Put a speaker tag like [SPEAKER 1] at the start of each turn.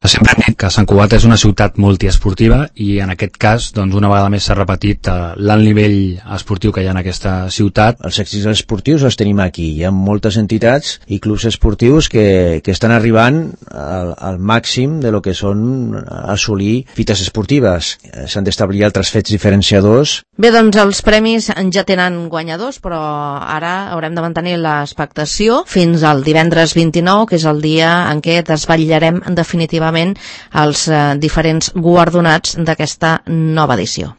[SPEAKER 1] Sempre hem dit que Sant Cugat és una ciutat multiesportiva i en aquest cas, doncs, una vegada més s'ha repetit l'alt nivell esportiu que hi ha en aquesta ciutat.
[SPEAKER 2] Els èxits esportius els tenim aquí. Hi ha moltes entitats i clubs esportius que estan arribant al màxim de lo que són assolir fites esportives. S'han d'establir altres fets diferenciadors.
[SPEAKER 3] Bé, doncs els premis ja tenen guanyadors, però ara haurem de mantenir l'expectació fins al divendres 29, que és el dia en què desvetllarem definitivament els diferents guardonats d'aquesta nova edició.